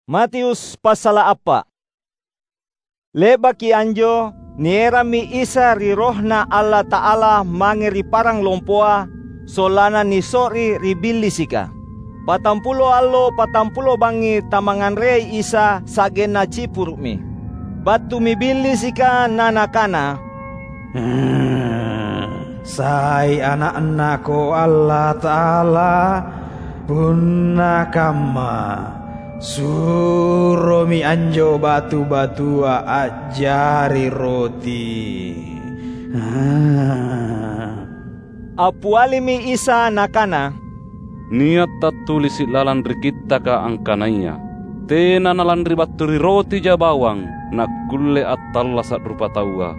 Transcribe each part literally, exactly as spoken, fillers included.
Matius passala’ appa’. Le'baki anjo, nierammi Isa ri RohNa Allata'ala mange ri parang lompoa, sollanna niso'ri ri Billisika. Patampulo allo patampulo bangngi tamangnganreai Isa sa'genna cipuru'mi. Battumi Billisika na nakana, "Sai Ana'naKo Allata'ala? Punna kamma, suromi anjo batu-batua a'jari roti." Appialimi Isa Nakana, "Nia’ tattulisi’ lalang ri Kittaka angkanaya, ‘Tena nalanri battu ri rotija bawang nakkulle attallasa’ rupataua,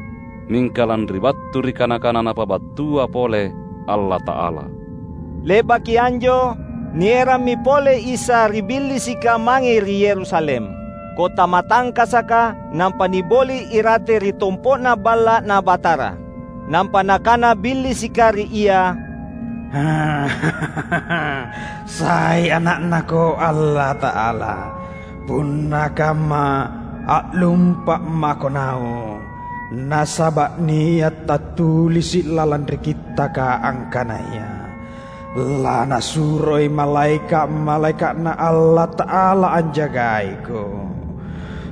mingka lanri battu ri kana-kana Napabattua pole Allata'ala.’" Le'baki anjo, nierammi pole Isa ri Billisika mange ri Yerusalem, kota matangkasaka, nampa niboli’ irate ri tompo'na Balla'Na Batara. Nampa nakana Billisika ri Ia, "Sai Ana'naKo Allata'ala? Punna kamma, a'lumpa’ mako naung, nasaba’ nia’ tattulisi’ lalang ri Kittaka angkanaya, ‘Lanasuroi malaeka’-malaeka'Na Allata'ala anjagaiko.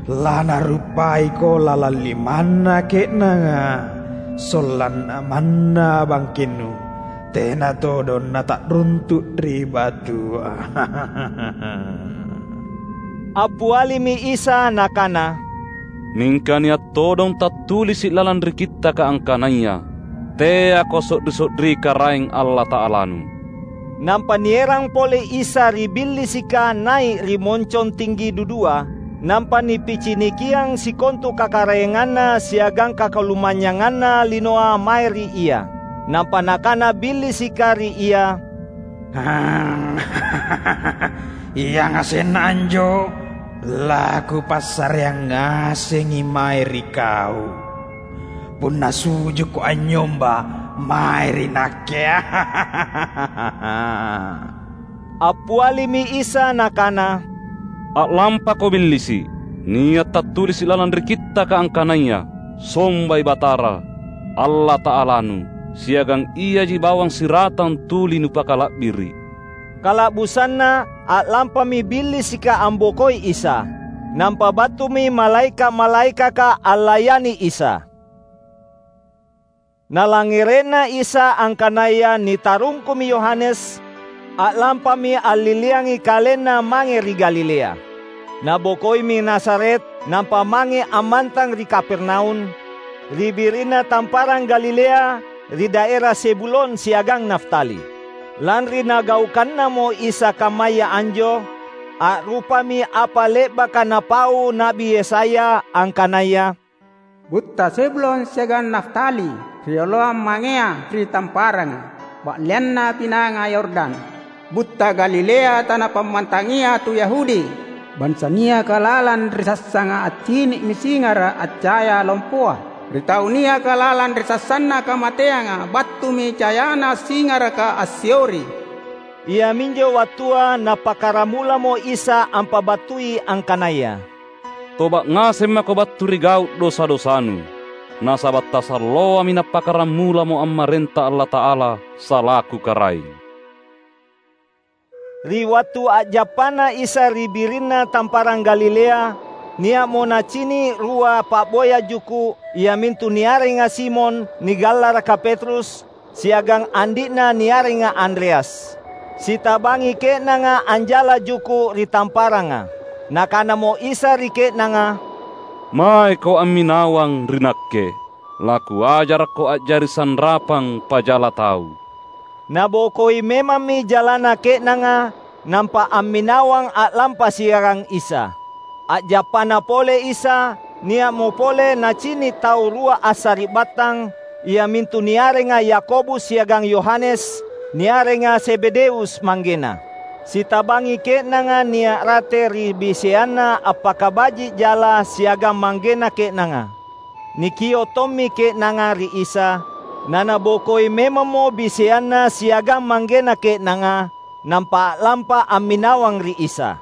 Lanarupaiko lalang limanna ke'nanga, sollanna manna bangkennu tena todong nata'runtu’ ri batua.’" Appialimi Isa Nakana, "Mingka nia’ todong tattulisi’ lalang ri Kittaka angkanaya, ‘Teako so'ri-so'ri Karaeng Allata'alanu.’" Nampa nierang pole Isa ri Billisika nai’ ri moncong tinggi dudua, nampa nipicinikiang sikontu kakaraenganna siagang kakalumanynyanganna linoa mae ri Ia. Nampa nakana Billisika ri Ia, "Iangasenna anjo laKupassareang ngasengi mae ri kau, punna sujukko anynyomba mae ri Nakke." Appialimi Isa Nakana, "A'lampako Billisi’! Nia’ tattulisi’ lalang ri Kittaka angkanaya, ‘Sombai Batara, Allata'alanu, siagang Iaji bawang siratang tuli nupakala'biri’!" Kala'busanna, a'lampami Billisika ambokoi Isa. Nampa battumi malaeka’-malaekaka allayani Isa. Nalangngere'na Isa angkanaya nitarungkumi Yohanes, a'lampami alliliangi KalenNa mange ri Galilea. Nabokoimi Nazaret, nampa mange ammantang ri Kapernaum, ri birinna tamparang Galilea, ri daera Zebulon siagang Naftali. Lanri nagaukannamo Isa kammaya anjo, a'rupami apa le'baka napau Na'bi Yesaya angkanaya, "Butta Zebulon siagang Naftali, rioloang mangea ri tamparanga, ba'leanna Pinanga Yordan, butta Galilea tana pammantangia tu Yahudi, bansa niaka lalang ri sassanga accini'mi singara’ accaya lompoa, ri tau niaka lalang ri sassanna kamateanga battumi cayana singaraka assiori." Iaminjo wattua Napakkaramulamo Isa ampabattui angkanaya, "Toba’ ngaseng mako battu ri gau’ dosa-dosanu, nasaba’ tasalloami Nappakkaramulamo ammarenta Allata'ala salaku Karaeng." Ri wattu a'jappana Isa ri birinna tamparang Galilea, nia'mo Nacini’ rua pa'boya juku’, iamintu niarenga Simon, nigallaraka Petrus, siagang andi'na niarenga Andreas. Sitabangi ke'nanga anjala juku’ ri tamparanga. Nakanamo Isa ri ke'nanga, "Maeko amminawang ri Nakke, laKuajarakko a'jari sanrapang pajala tau." Nabokoi memammi jalana ke'nanga, nampa amminawang a'lampa siagang Isa. A'jappana pole Isa, nia'mo pole Nacini’ tau rua assari'battang, iamintu niarenga Yakobus siagang Yohanes, niarenga Zebedeus manggena. Sitabangi ke'nanga nia’ rate ri biseanna appakabaji’ jala siagang manggena ke'nanga. Nikio’ tommi ke'nanga ri Isa, nanabokoi memammo biseanna siagang manggena ke'nanga, nampa a'lampa amminawang ri Isa.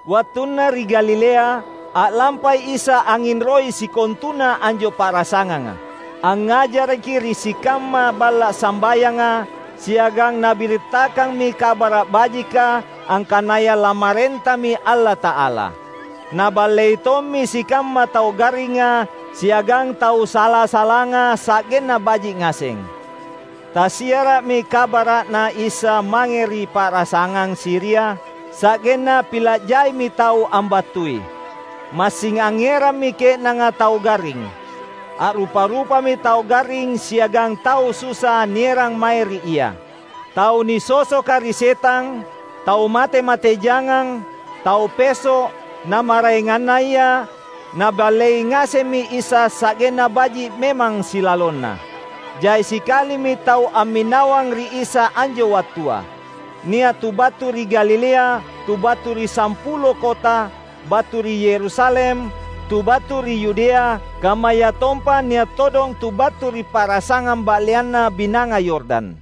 Wattunna ri Galilea, a'lampai Isa angnginroi sikontuna anjo pa'rasanganga. Angngajaraki ri sikamma balla’ sambayanga, siagang Nabirittakkammi Kabara’ Bajika angkanaya lamarentami Allata'ala. Naballei tommi sikamma tau garringa siagang tau sala-salanga sa'genna baji’ ngaseng. Tasiara'mi kabara'Na Isa mange ri pa'rasangang Siria, sa'genna pila’ jaimi tau ambattui. Massing angngerammi ke'nanga tau garring. A'rupa-rupami tau garring siagang tau susa nierang mae ri Ia. Tau nisosoka ri setang, tau mate-mate jangang, tau peso’, na maraengannaya, Naballei ngasemmi Isa sa'genna baji’ memang silalonna. Jai sikalimi tau amminawang ri Isa anjo wattua. Nia’ tu battu ri Galilea, tu battu ri Sampulo Kota, battu ri Yerusalem, tu battu ri Yudea, kammayatompa nia’ todong tu battu ri pa'rasangang ba'leanna Binanga Yordan.